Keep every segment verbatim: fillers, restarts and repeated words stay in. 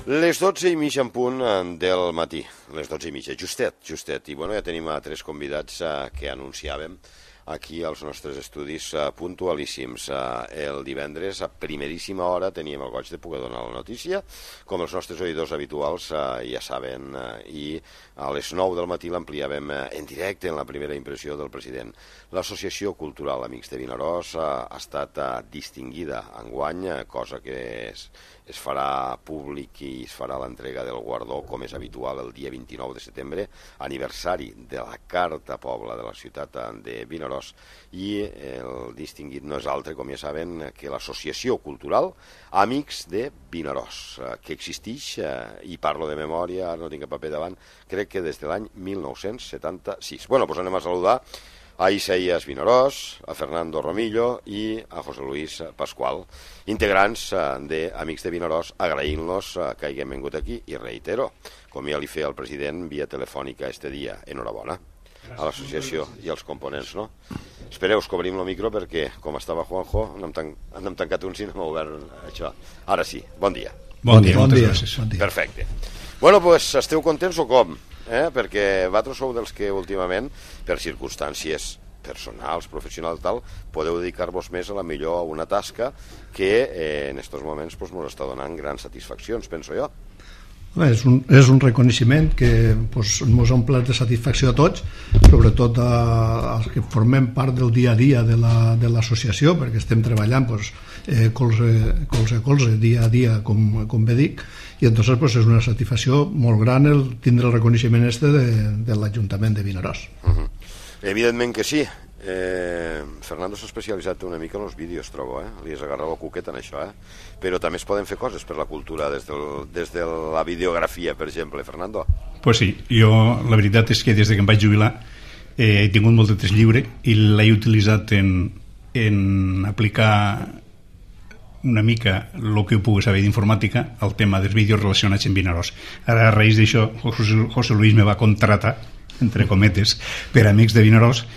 Les dotze i mitja en punt del matí, les dotze i mitja, justet, justet. I bueno, ja tenim a tres convidats uh, que anunciàvem aquí als nostres estudis uh, puntualíssims. Uh, el divendres, a primeríssima hora, teníem el goig de poder donar la notícia, com els nostres oïdors habituals uh, ja saben, uh, i a les nou del matí l'ampliàvem uh, en directe en la primera impressió del president. L'Associació Cultural Amics de Vinaròs uh, ha estat uh, distingida enguany, uh, cosa que és es farà públic i es farà l'entrega del guardó, com és habitual, el dia vint-i-nou de setembre, aniversari de la Carta Pobla de la ciutat de Vinaròs. I el distingit no és altre, com ja saben, que l'Associació Cultural Amics de Vinaròs, que existeix, i parlo de memòria, no tinc el paper davant, crec que des de l'any mil nou-cents setanta-sis. Bueno, doncs anem a saludar a Isaías Vinaròs, a Fernando Romillo i a José Luis Pascual, integrants d'Amics de Vinaròs, agraint-los que hagin vingut aquí i reitero, com ja li feia el president via telefònica este dia, enhorabona a l'associació i als components, no? Espereu, que obrim el micro perquè, com estava Juanjo, no hem, tan, no hem tancat un si no hem obert això. Ara sí, bon dia. Bon dia, bon dia. Bon dia. Perfecte. Bueno, doncs, pues, esteu contents o com? Eh? Perquè vosaltres sou dels que últimament, per circumstàncies personals, professionals, tal, podeu dedicar-vos més a la millor a una tasca que eh, en aquests moments pues, ens està donant grans satisfaccions, penso jo. És un, és un reconeixement que pues, ens ha omplert de satisfacció a tots, sobretot a, als que formem part del dia a dia de l'associació, la, perquè estem treballant pues, eh, colze, colze a colze, dia a dia, com, com bé dic, i entonces pues, és una satisfacció molt gran el tindre el reconeixement este de, de l'Ajuntament de Vinaròs. Uh-huh. Evidentment que sí. Eh, Fernando s'ha especialitzat una mica en els vídeos, trobo, eh? Li has agarrat el cuquet en això, eh? Però també es poden fer coses per la cultura des, del, des de la videografia, per exemple, Fernando. Pues sí, jo la veritat és que des que em vaig jubilar eh, he tingut molt de temps lliure i l'he utilitzat en, en aplicar una mica el que ho pugui saber d'informàtica al tema dels vídeos relacionats amb Vinaròs. Ara, a raïs d'això, José, José Luis me va contratar, entre cometes, per Amics de Vinaròs,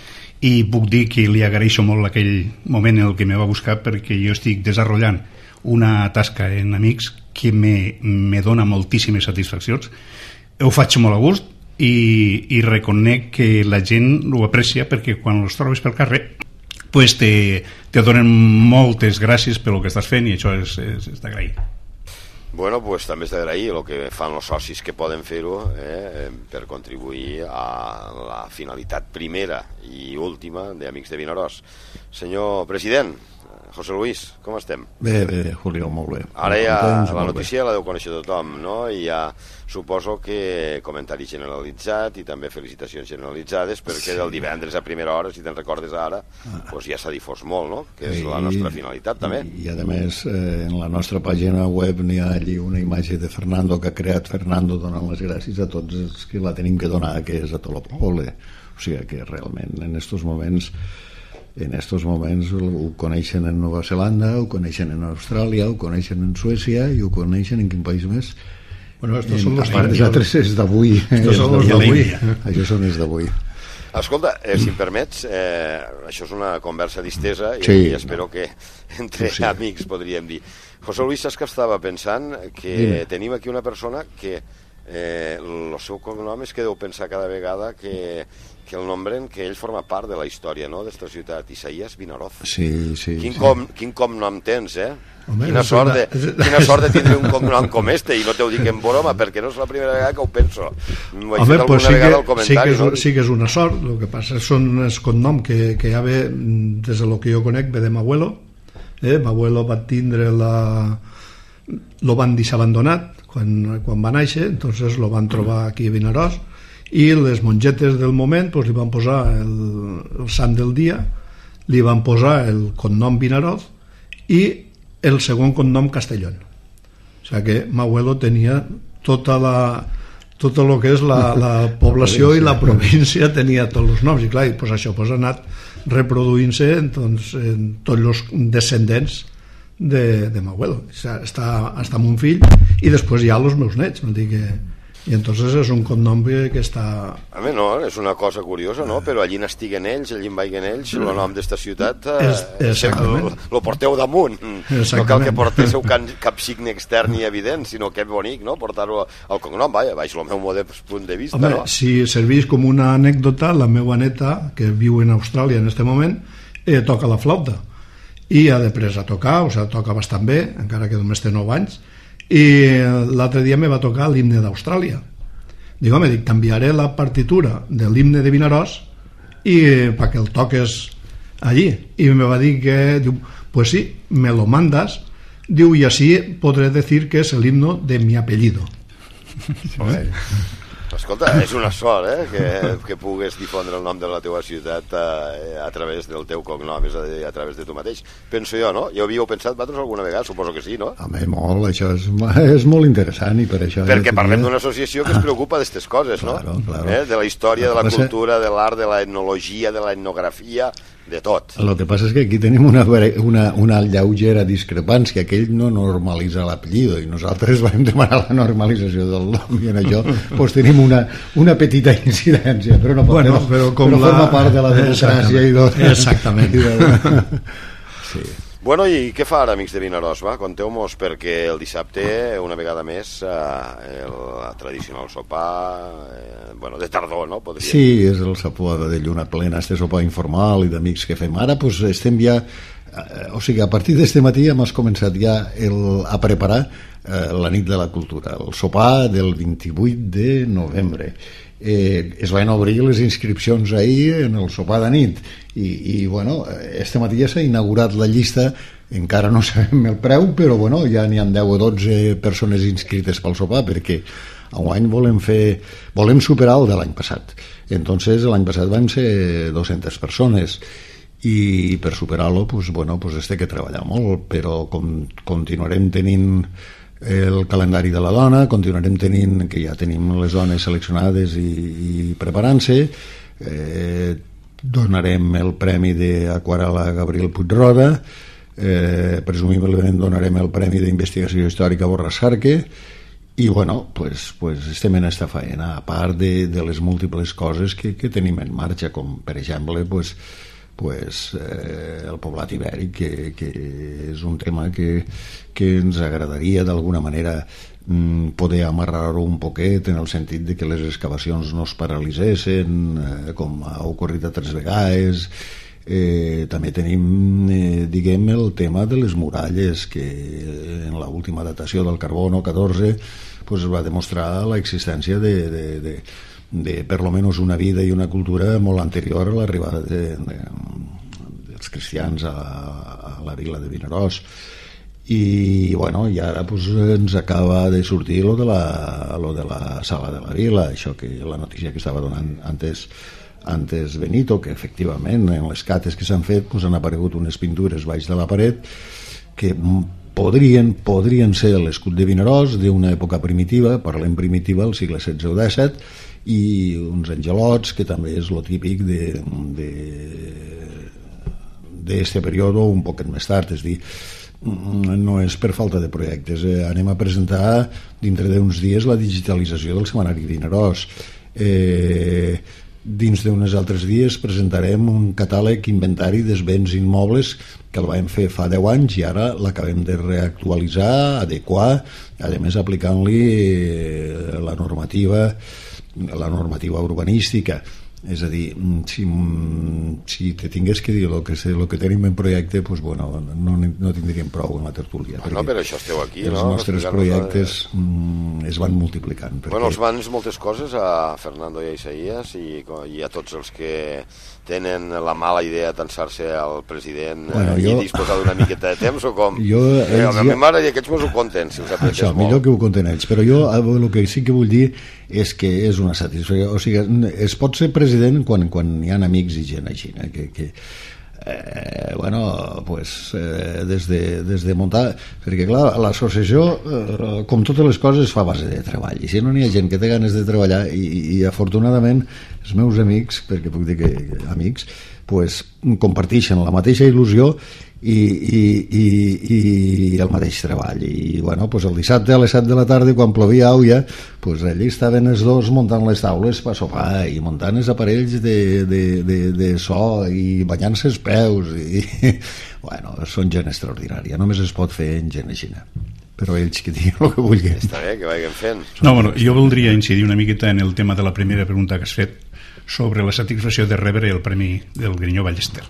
i puc dir que li agraeixo molt aquell moment en el que me va buscar, perquè jo estic desenvolupant una tasca en Amics que me, me dona moltíssimes satisfaccions. Ho faig molt a gust i, i reconec que la gent ho aprecia, perquè quan els trobes pel carrer pues te, te donen moltes gràcies pel que estàs fent, i això és, és, és d'agrair. Bueno, pues també és d'agrair el que fan els socis que poden fer-ho eh, per contribuir a la finalitat primera i última d'Amics de Vinaròs. Senyor president, José Luis, com estem? Bé, bé, Julio, molt bé. Ara ja la notícia la deu conèixer tothom, no? I ja suposo que comentari generalitzat i també felicitacions generalitzades, perquè sí. Del divendres a primera hora, si te'n recordes ara, ah. pues ja s'ha difós molt, no? Que és I, la nostra finalitat, també. I, i a més, eh, en la nostra pàgina web n'hi ha allí una imatge de Fernando que ha creat Fernando donant les gràcies a tots els que la tenim que donar, que és a tot el poble. O sigui que realment en estos moments en estos moments ho coneixen en Nova Zelanda, ho coneixen en Austràlia, ho coneixen en Suècia i ho coneixen en quin país més. Bueno, estos són los altres és d'avui. Estos són els d'avui. Això són els d'avui. Escolta, eh, si em permets, eh, això és una conversa distesa i, sí, i espero no. que entre sí. amics podríem dir. José Luis, saps que estava pensant que Dime. tenim aquí una persona que eh, el seu cognom és que deu pensar cada vegada que que el nombren, que ell forma part de la història, no?, d'esta ciutat, Isaías Vinaròs. Sí, sí. Quin, sí. Com, quin cognom tens, eh? Home, quina, sort de, quina sort de tindre un cognom com este, i no t'ho dic en broma, perquè no és la primera vegada que ho penso. M'ho he Home, fet pues alguna sí vegada que, al comentari, sí que, és, no? sí que és una sort, el que passa són els cognoms que, que ja ve, des de lo que jo conec, ve de m'abuelo. Eh? M'abuelo va tindre la... lo van deixar abandonat quan, quan va néixer, entonces lo van trobar aquí a Vinaròs, i les mongetes del moment pues, li van posar el, el sant del dia, li van posar el cognom Vinaròs i el segon cognom Castellón. O sigui que m'abuelo tenia tota la tot el que és la, la població i la província, tenia tots els noms, i clar, i, pues, això pues, ha anat reproduint-se doncs, en tots els descendents de, de m'abuelo. Està, està amb un fill i després hi ha els meus nets, vol dir que i entonces és un cognom que està... A mi no, és una cosa curiosa, no? Però allí n'estiguen ells, allí en vaiguen ells, el nom d'esta ciutat eh, és, el, lo porteu damunt. No cal que portéssiu cap signe extern ni evident, sinó que és bonic, no? Portar-ho al cognom, vaja, baix el meu modest punt de vista. Home, no? Si serveix com una anècdota, la meva neta, que viu en Austràlia en este moment, eh, toca la flauta i ha després a tocar, o sigui, toca bastant bé, encara que només té nou anys, i l'altre dia me va tocar l'himne d'Austràlia. Dic, home, dic, canviaré la partitura de l'himne de Vinaròs i perquè el toques allí. I me va dir que, diu, pues sí, me lo mandas, diu, y así podré decir que es el himno de mi apellido. Joder. Escolta, és una sort, eh, que, que pugues difondre el nom de la teva ciutat eh, a través del teu cognom, és a dir, a través de tu mateix. Penso jo, no? Ja ho havíeu pensat vosaltres alguna vegada? Suposo que sí, no? Home, molt, això és, és molt interessant i per això... Perquè parlem d'una associació que es preocupa d'aquestes coses, no? Claro, claro. Eh? De la història, de la cultura, de l'art, de la etnologia, de la etnografia, de tot. El que passa és que aquí tenim una, una, una lleugera discrepància, que ell no normalitza l'apellido i nosaltres vam demanar la normalització del nom i en això pues, tenim una, una petita incidència, però no, bueno, però, però, com però la... forma part de la democràcia i tot. Exactament. I de... Sí. Bueno, i què fa ara, amics de Vinaròs? Va, conteu-mos, perquè el dissabte, una vegada més, eh, el tradicional sopar, eh, bueno, de tardor, no? Podria... Sí, és el sopar de lluna plena, este sopar informal i d'amics que fem. Ara, pues, estem ja... Eh, o sigui, a partir d'este matí hem començat ja el, a preparar eh, la nit de la cultura, el sopar del vint-i-vuit de novembre. Eh, es van obrir les inscripcions ahir en el sopar de nit i, i bueno, este matí ja s'ha inaugurat la llista, encara no sabem el preu, però bueno, ja n'hi ha deu o dotze persones inscrites pel sopar, perquè enguany volem fer volem superar el de l'any passat. Entonces l'any passat van ser dues-centes persones i per superar-lo pues, bueno, pues este que treballar molt, però com, continuarem tenint el calendari de la dona, continuarem tenint, que ja tenim les dones seleccionades i, i preparant-se, eh, donarem el premi d'aquarel·la a Gabriel Puigroda, eh, presumiblement donarem el premi d'investigació històrica a Borràs Jarque, i bueno, pues, pues estem en esta faena, a part de, de les múltiples coses que, que tenim en marxa, com per exemple pues, pues, eh, el poblat ibèric, que, que és un tema que, que ens agradaria d'alguna manera mm, poder amarrar-ho un poquet, en el sentit de que les excavacions no es paralitzessin, eh, com ha ocorrit altres vegades. Eh, també tenim, eh, diguem, el tema de les muralles, que en l'última datació del carbono catorze pues, va demostrar l'existència de... de, de de per lo menos una vida i una cultura molt anterior a l'arribada de, de, dels cristians a, a la vila de Vinaròs. I bueno, i ara pues, ens acaba de sortir lo de, la, lo de la sala de la vila, això que la notícia que estava donant antes, antes Benito, que efectivament en les cates que s'han fet pues, han aparegut unes pintures baix de la paret que podrien, podrien ser l'escut de Vinaròs d'una època primitiva, parlem primitiva, al segle setze o disset, i uns angelots, que també és lo típic de, de, d'este període un poquet més tard, és dir, no és per falta de projectes. Eh, anem a presentar dintre d'uns dies la digitalització del setmanari Vinaròs. Eh, dins d'uns altres dies presentarem un catàleg inventari dels béns immobles que el vam fer fa deu anys i ara l'acabem de reactualitzar, adequar, a més aplicant-li la normativa la normativa urbanística. És a dir, si, si te tingués que dir el que, el que tenim en projecte, pues, bueno, no, no tindríem prou en la tertúlia. Ah, no, per això esteu aquí, els no? Els nostres projectes de... es van multiplicant. Perquè... Bueno, els mans moltes coses a Fernando i a Isaías i, i a tots els que tenen la mala idea d'ansar-se al president bueno, eh, jo... i disposar d'una miqueta de temps o com? Jo, eh, a mi m'agrada que ells mos ho conten, si us apretes això, molt. Millor que ho conten ells, però jo el que sí que vull dir és que és una satisfacció, o sigui, es pot ser president quan, quan hi ha amics i gent així, eh, que, que eh, bueno, pues eh, des, de, des de muntar, perquè clar, l'associació eh, com totes les coses fa a base de treball, i si no n'hi ha gent que té ganes de treballar i, i afortunadament els meus amics, perquè puc dir que amics, pues, comparteixen la mateixa il·lusió i, i, i, i el mateix treball. I bueno, pues el dissabte a les set de la tarda, quan plovia auia, pues allí estaven els dos muntant les taules per sopar i muntant els aparells de, de, de, de so i banyant-se els peus i bueno, són gent extraordinària, només es pot fer en gent així, però ells que diguin el que vulguin. Està bé, que vagin fent. No, bueno, jo voldria incidir una miqueta en el tema de la primera pregunta que has fet sobre la satisfacció de rebre el premi del Grinyó Ballester.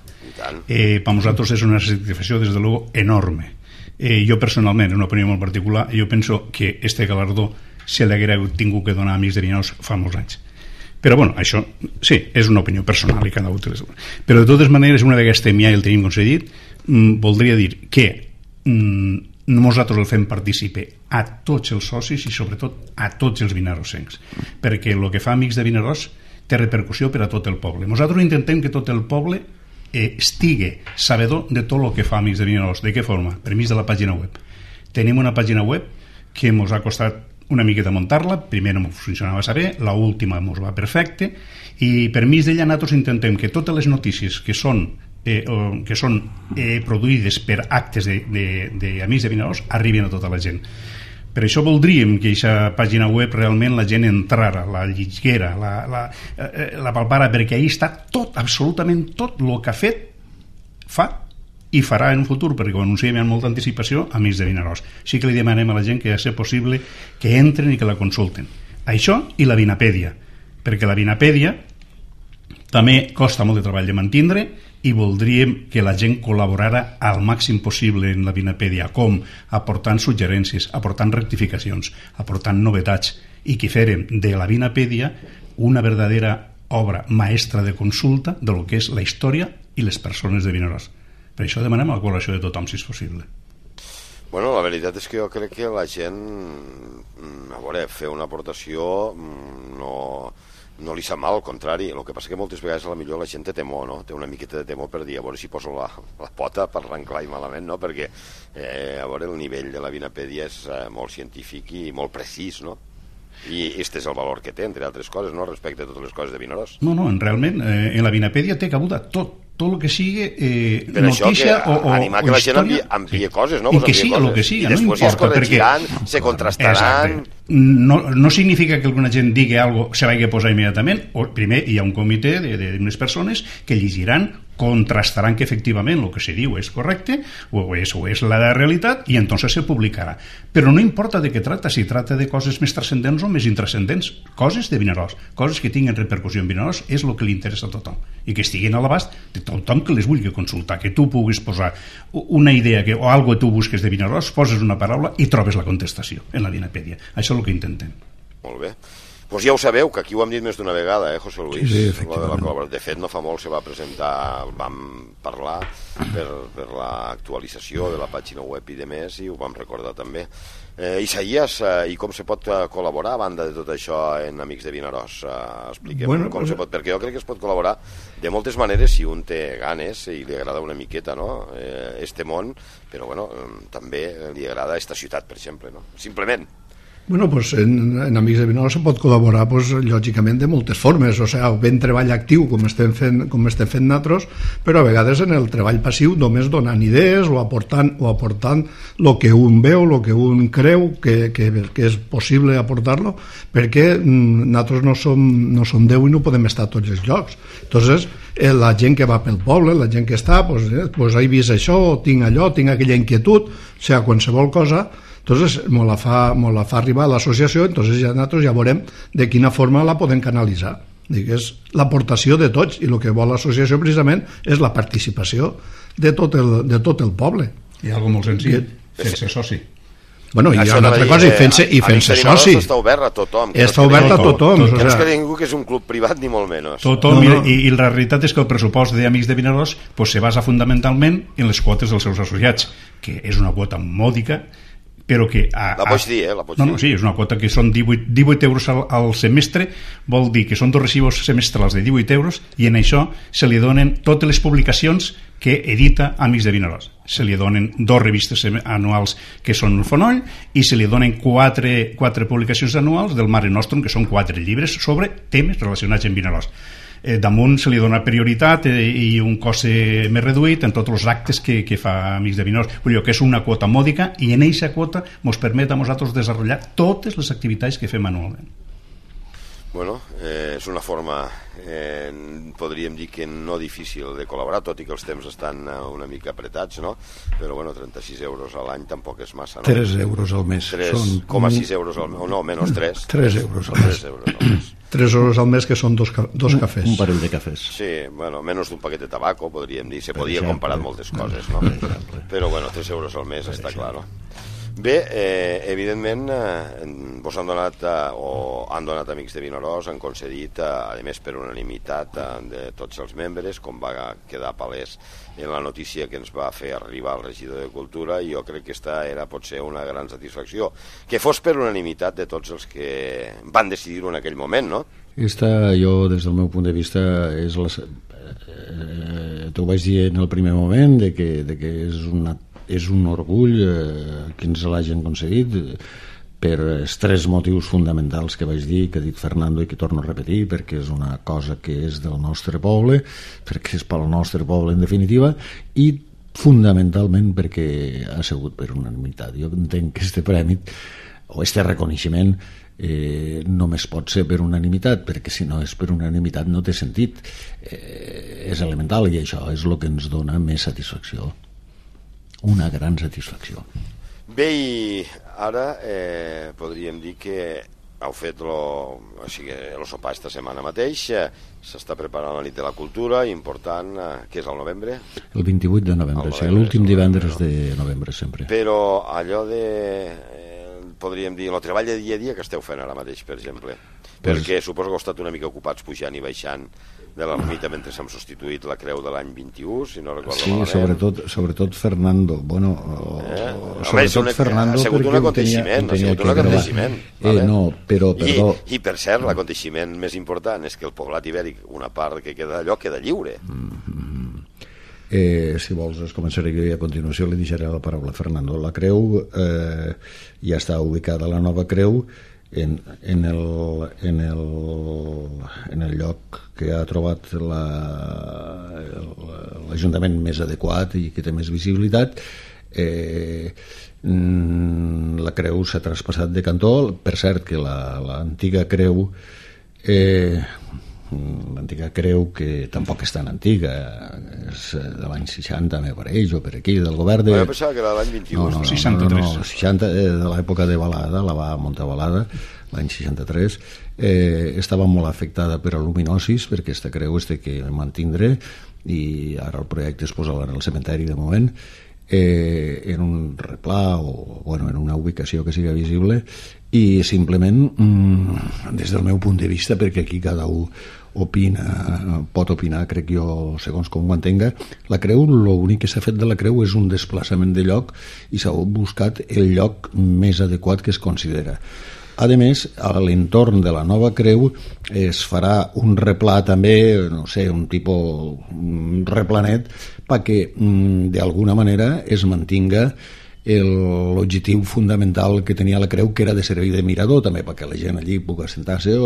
Eh, per nosaltres és una satisfacció des de luego enorme. Eh, jo personalment, en una opinió molt particular, jo penso que este galardó se l'haguera tingut que donar a Amics de Vinaròs fa molts anys. Però bueno, això sí, és una opinió personal i cada un. Però de totes maneres, una vegada estem ja i el tenim concedit, mm, voldria dir que mm, nosaltres el fem partícipe a tots els socis i sobretot a tots els vinarossencs, perquè el que fa Amics de Vinaròs té repercussió per a tot el poble. Nosaltres intentem que tot el poble eh, estigui sabedor de tot el que fa Amics de Vinaròs. De què forma? Per mig de la pàgina web. Tenim una pàgina web que ens ha costat una miqueta muntar-la, primer no funcionava bé, l'última ens va perfecte, i per mig d'ella nosaltres intentem que totes les notícies que són eh, que són eh, produïdes per actes d'Amics de, de, de Vinaròs arribin a tota la gent. Per això voldríem que aquesta pàgina web realment la gent entrara, la lliguera, la, la, la palpara, perquè ahí està tot, absolutament tot el que ha fet, fa i farà en un futur, perquè ho anunciem amb molta anticipació a Amics de Vinaròs. Sí que li demanem a la gent que ha de ser possible que entren i que la consulten. Això i la Vinapèdia, perquè la Vinapèdia també costa molt de treball de mantindre i voldríem que la gent col·laborara al màxim possible en la Vinapèdia, com aportant suggerències, aportant rectificacions, aportant novetats, i que fèrem de la Vinapèdia una verdadera obra maestra de consulta de lo que és la història i les persones de Vinaròs. Per això demanem la col·laboració de tothom, si és possible. Bueno, la veritat és que jo crec que la gent, a veure, fer una aportació no... no li sap mal, al contrari. El que passa que moltes vegades a la millor la gent té temor, no? Té una miqueta de temor per dir, a veure si poso la, la pota per arrencar-hi malament, no? Perquè eh, a veure, el nivell de la Vinapèdia és eh, molt científic i molt precís, no? I aquest és el valor que té, entre altres coses, no? Respecte a totes les coses de Vinaròs. No, no, realment eh, en la Vinapèdia té cabuda tot, tot el que sigui eh, notícia que, o, o, animar que o la gent envia, envia sí. coses, no? I que siga el que siga, i no després importa, es corregiran, perquè... se contrastaran... Exacte. No, no significa que alguna gent digui algo se vagi a posar immediatament, o primer hi ha un comitè d'unes persones que llegiran, contrastaran que efectivament el que se diu és correcte o és, o és la realitat i entonces se publicarà. Però no importa de què tracta, si tracta de coses més transcendents o més intrascendents, coses de Vinaròs, coses que tinguin repercussió en Vinaròs és el que li interessa a tothom i que estiguin a l'abast de tothom que les vulgui consultar, que tu puguis posar una idea que, o algo que tu busques de Vinaròs, poses una paraula i trobes la contestació en la Vinapèdia. Això és el que intentem. Molt bé. Pues ja ho sabeu, que aquí ho hem dit més d'una vegada, eh, José Luis? Sí, efectivament. De, de fet, no fa molt se va presentar, vam parlar per, per l'actualització de la pàgina web i de més, i ho vam recordar també. Eh, Isaías, eh, i com se pot col·laborar a banda de tot això en Amics de Vinaròs? Eh, expliquem bueno, com pues... se pot, perquè jo crec que es pot col·laborar de moltes maneres si un té ganes i li agrada una miqueta, no?, eh, este món, però bueno, eh, també li agrada esta ciutat, per exemple, no? Simplement. Bueno, pues en, en Amics de Vinaròs se pot col·laborar pues, lògicament de moltes formes, o sigui, ben treball actiu com estem fent, com estem fent nosaltres, però a vegades en el treball passiu només donant idees o aportant o aportant el que un veu, el que un creu que, que, que és possible aportar-lo, perquè nosaltres no som, no som Déu i no podem estar a tots els llocs. Entonces, eh, la gent que va pel poble, la gent que està, pues, eh, pues he vist això, tinc allò, tinc aquella inquietud, o sigui, qualsevol cosa. Entonces, me la fa, me la fa arribar a l'associació, entonces ja nosaltres ja veurem de quina forma la podem canalitzar. Dic, és l'aportació de tots, i el que vol l'associació precisament és la participació de tot el, de tot el poble. Hi ha alguna molt senzill, fer-se soci. Bueno, i hi ha una altra cosa, i fent-se i fent-se soci. Està obert a tothom. Està obert a tothom. Que no és que ningú que és un club privat, ni molt menys. Tothom, no, no. I, i la realitat és que el pressupost d'Amics de Vinaròs pues, se basa fundamentalment en les quotes dels seus associats, que és una quota mòdica, però que... A, la pots dir, eh? La pots no, dir. no, sí, és una quota que són divuit, divuit euros al, al semestre, vol dir que són dos recibos semestrals de divuit euros i en això se li donen totes les publicacions que edita Amics de Vinaròs. Se li donen dos revistes anuals que són el Fonoll i se li donen quatre, quatre publicacions anuals del Mare Nostrum, que són quatre llibres sobre temes relacionats amb Vinaròs. Eh, damunt se li dona prioritat eh, i un cost eh, més reduït en tots els actes que, que fa Amics de Vinaròs. Vull dir que és una quota mòdica i en aquesta quota ens permet a nosaltres desenvolupar totes les activitats que fem anualment. Bueno, eh, és una forma, eh, podríem dir que no difícil de col·laborar, tot i que els temps estan una mica apretats, no? Però bueno, trenta-sis euros a l'any tampoc és massa, no? tres euros al mes. tres coma sis euros al mes, o no, menys tres. tres euros al mes. tres euros al mes. tres euros al mes, que són dos, ca dos cafès. Un parell de cafès. Sí, bueno, menys d'un paquet de tabaco, podríem dir. Se podia exemple, comparar moltes coses, no? Però bueno, tres euros al mes està clar, no? Bé, eh, evidentment, eh, vos han donat, eh, o han donat Amics de Vinaròs, han concedit, eh, a més per unanimitat eh, de tots els membres, com va quedar palès en la notícia que ens va fer arribar el regidor de Cultura, i jo crec que aquesta era potser una gran satisfacció. Que fos per unanimitat de tots els que van decidir-ho en aquell moment, no? Esta, jo, des del meu punt de vista, és la, eh, t'ho vaig dir en el primer moment, de que, de que és una és un orgull eh, que ens l'hagin concedit per els tres motius fonamentals que vaig dir, que ha dit Fernando i que torno a repetir, perquè és una cosa que és del nostre poble, perquè és pel nostre poble en definitiva, i fonamentalment perquè ha sigut per unanimitat. Jo entenc que este premi o este reconeixement eh, només pot ser per unanimitat, perquè si no és per unanimitat no té sentit. Eh, és elemental, i això és el que ens dona més satisfacció. Una gran satisfacció. Bé, i ara eh, podríem dir que heu fet lo, o sigui, el sopar esta setmana mateix, eh, s'està preparant la nit de la cultura, important, eh, que és el novembre? El vint-i-vuit de novembre, sí, l'últim divendres de novembre sempre. Però allò de, eh, podríem dir, el treball de dia a dia que esteu fent ara mateix, per exemple, perquè suposo que heu estat una mica ocupats pujant i baixant de l'ermita mentre s'ha substituït la creu de l'any vint-i-u, si no recordo sí, malament. Sí, sobretot, sobretot Fernando. Bueno, eh? sobretot una, Fernando, ha sigut un aconteixement, ha sigut un aconteixement. Vale? Eh, no, però, perdó... I, I, per cert, l'aconteixement més important és que el poblat ibèric, una part que queda allò, queda lliure. Mm-hmm. Eh, si vols, es començaré jo i a continuació li deixaré la paraula a Fernando. La creu eh, ja està ubicada, la nova creu, En, en, el, en, el, en el lloc que ha trobat l'Ajuntament més adequat i que té més visibilitat. eh, la creu s'ha traspassat de cantó, per cert que l'antiga creu eh, l'antiga creu, que tampoc és tan antiga, és de l'any seixanta, me pareix, o per aquí, del govern de... Jo pensava que era l'any vint-i-u. No, no, no, seixanta-tres. No, no, seixanta, eh, de l'època de Balada, la va muntar Balada, l'any seixanta-tres, eh, estava molt afectada per aluminosis, perquè aquesta creu es té que mantindre, i ara el projecte es posa en el cementeri de moment, eh, en un replà o bueno, en una ubicació que siga visible, i simplement mm, des del meu punt de vista, perquè aquí cada un opina, pot opinar, crec jo, segons com ho entenga, la creu, l'únic que s'ha fet de la creu és un desplaçament de lloc i s'ha buscat el lloc més adequat que es considera. A més, a l'entorn de la nova creu es farà un replà també, no sé, un tipus un replanet, perquè d'alguna manera es mantinga l'objectiu fundamental que tenia la creu, que era de servir de mirador també, perquè la gent allí pugui assentar-se,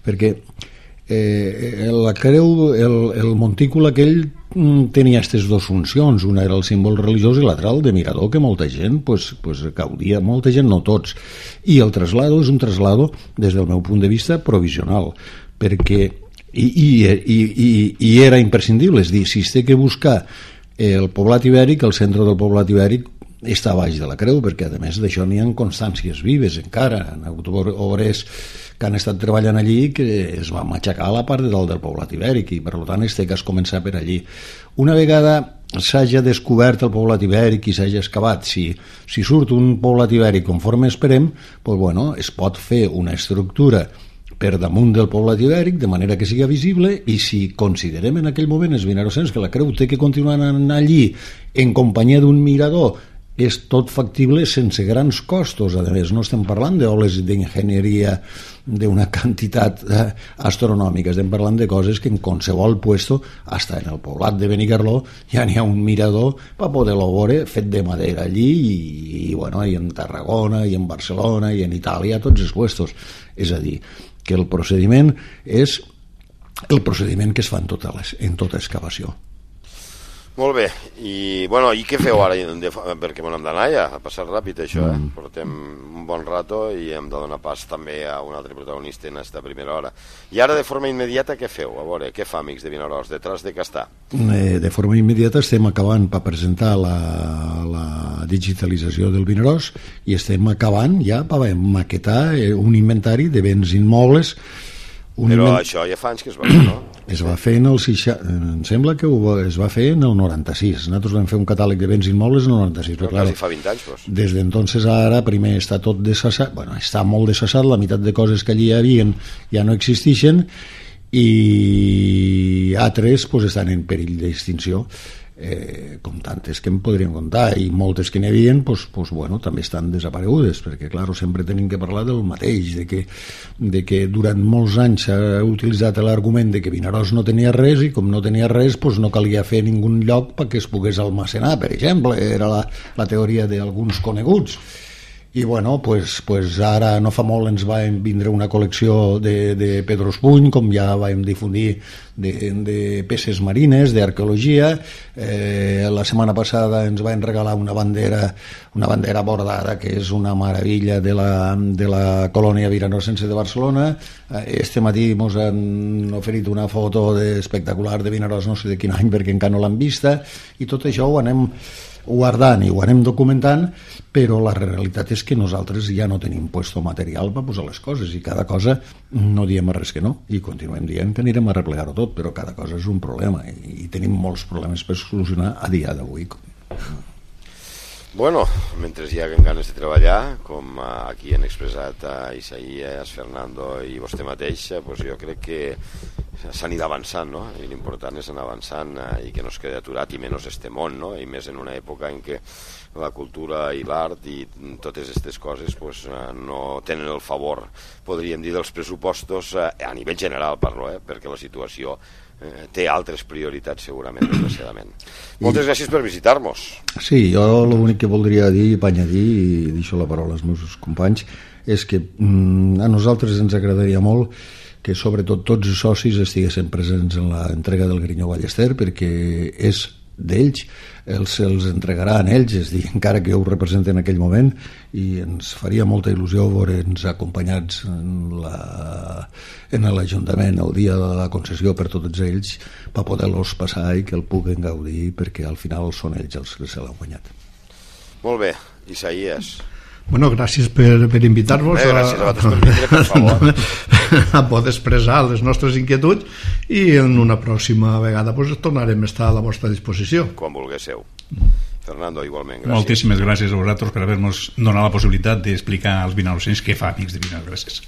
perquè eh, la creu, el, el montícul aquell tenia aquestes dues funcions, una era el símbol religiós i l'altra el de mirador, que molta gent pues, pues, gaudia, molta gent, no tots, i el traslado és un traslado des del meu punt de vista provisional, perquè i, i, i, i, i era imprescindible, és dir, si es té que buscar el poblat ibèric, el centre del poblat ibèric està a baix de la creu, perquè a més d'això n'hi ha constàncies vives encara, han hagut obrers que han estat treballant allí que es va matxacar a la part de dalt del poblat ibèric, i per tant es té que es començar per allí. Una vegada s'hagi descobert el poblat ibèric i s'hagi excavat, si, si surt un poblat ibèric conforme esperem, doncs, bueno, es pot fer una estructura per damunt del poblat ibèric, de manera que siga visible, i si considerem en aquell moment els vinarosens que la creu té que continuar anar allí en companyia d'un mirador és tot factible sense grans costos. A més, no estem parlant d'oles d'enginyeria d'una quantitat eh, astronòmica, estem parlant de coses que en qualsevol puesto, hasta en el poblat de Benicarló, ja n'hi ha un mirador per poder-lo veure fet de madera allí, i, i, bueno, i en Tarragona, i en Barcelona, i en Itàlia, tots els puestos. És a dir, que el procediment és el procediment que es fa en tota, les, en tota excavació. Molt bé, i, bueno, i què feu ara? De, perquè me n'hem d'anar ja, ha passat ràpid això, eh? Mm. Portem un bon rato i hem de donar pas també a un altre protagonista en aquesta primera hora. I ara, de forma immediata, què feu? A veure, què fa, amics de Vinaròs, detrás de què està? Eh, de forma immediata estem acabant per presentar la, la digitalització del Vinaròs i estem acabant ja per maquetar un inventari de béns immobles. Un Però invent... això ja fa anys que es va fer, no? Es va fer en el seixanta... Em sembla que ho, es va fer en el noranta-sis. Nosaltres vam fer un catàleg de béns immobles en el noranta-sis. Però, però quasi fa vint anys, doncs. Des d'entonces ara, primer està tot dessassat, bueno, està molt dessassat, la meitat de coses que allí hi havia ja no existeixen, i altres pues, estan en perill d'extinció. Eh, com tantes que em podríem contar, i moltes que n'hi havia pues, pues, bueno, també estan desaparegudes, perquè clar, sempre tenim que parlar del mateix, de que, de que durant molts anys s'ha utilitzat l'argument de que Vinaròs no tenia res, i com no tenia res pues, no calia fer ningun lloc perquè es pogués almacenar, per exemple, era la, la teoria d'alguns coneguts. I bueno, pues, pues ara no fa molt ens va vindre una col·lecció de, de Pedros Puny, com ja vam difundir, de, de peces marines, d'arqueologia. Eh, la setmana passada ens van regalar una bandera, una bandera bordada, que és una meravella de la, de la colònia viranorosense de Barcelona. Este matí ens han oferit una foto de, espectacular de Vinaròs, no sé de quin any, perquè encara no l'han vista, i tot això ho anem guardant i ho anem documentant, però la realitat és que nosaltres ja no tenim puesto material per posar les coses, i cada cosa no diem res que no, i continuem dient que anirem a replegar-ho tot, però cada cosa és un problema, i, i tenim molts problemes per solucionar a dia d'avui. Bueno, mentre hi haguen ganes de treballar, com aquí han expressat a Isaías, Fernando i vostè mateix, pues jo crec que s'anirà avançant, no? I l'important és anar avançant i que no es quedi aturat, i menys este món, no? I més en una època en què la cultura i l'art i totes aquestes coses pues, no tenen el favor, podríem dir, dels pressupostos a nivell general, parlo, eh? Perquè la situació eh, té altres prioritats segurament, desgraciadament. Moltes gràcies per visitar-nos. Sí, jo l'únic que voldria dir, apanyadir, i deixo la paraula als meus companys, és que mm, a nosaltres ens agradaria molt que sobretot tots els socis estiguessin presents en l'entrega del Grinyó Ballester, perquè és d'ells, els els entregaran ells, és dir, encara que ho representen en aquell moment, i ens faria molta il·lusió veure'ns acompanyats en la, en l'Ajuntament el dia de la concessió per tots ells, per poder-los passar i que el puguen gaudir, perquè al final són ells els que se l'han guanyat. Molt bé, Isaías. Bueno, gràcies per, per invitar-vos eh, gràcies a, a, per vindre, per favor. a poder expressar les nostres inquietuds, i en una pròxima vegada pues, tornarem a estar a la vostra disposició. Quan vulguéssiu. Fernando, igualment, gràcies. Moltíssimes gràcies a vosaltres per haver-nos donat la possibilitat d'explicar als vinarosens què fa Amics de Vinaròs. Gràcies.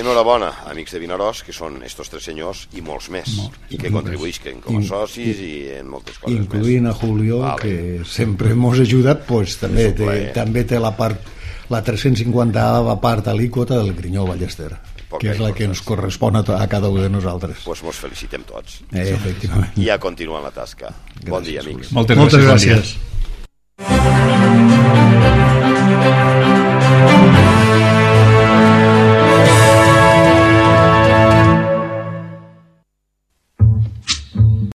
Enhorabona, Amics de Vinaròs, que són estos tres senyors i molts més, Molt. i que contribuïsquen com a socis i en moltes coses incluint més. A Julio, vale. Que sempre ens ha ajudat, pues, també, té, també té la part, la tres-cents cinquanta part alíquota del Grinyó Ballester, Poca que és la que ens correspon a, a cada un de nosaltres. Doncs pues mos felicitem tots. Eh, efectivament. I a continuar la tasca. Gràcies, bon dia, amics. Moltes, Moltes gràcies. gràcies.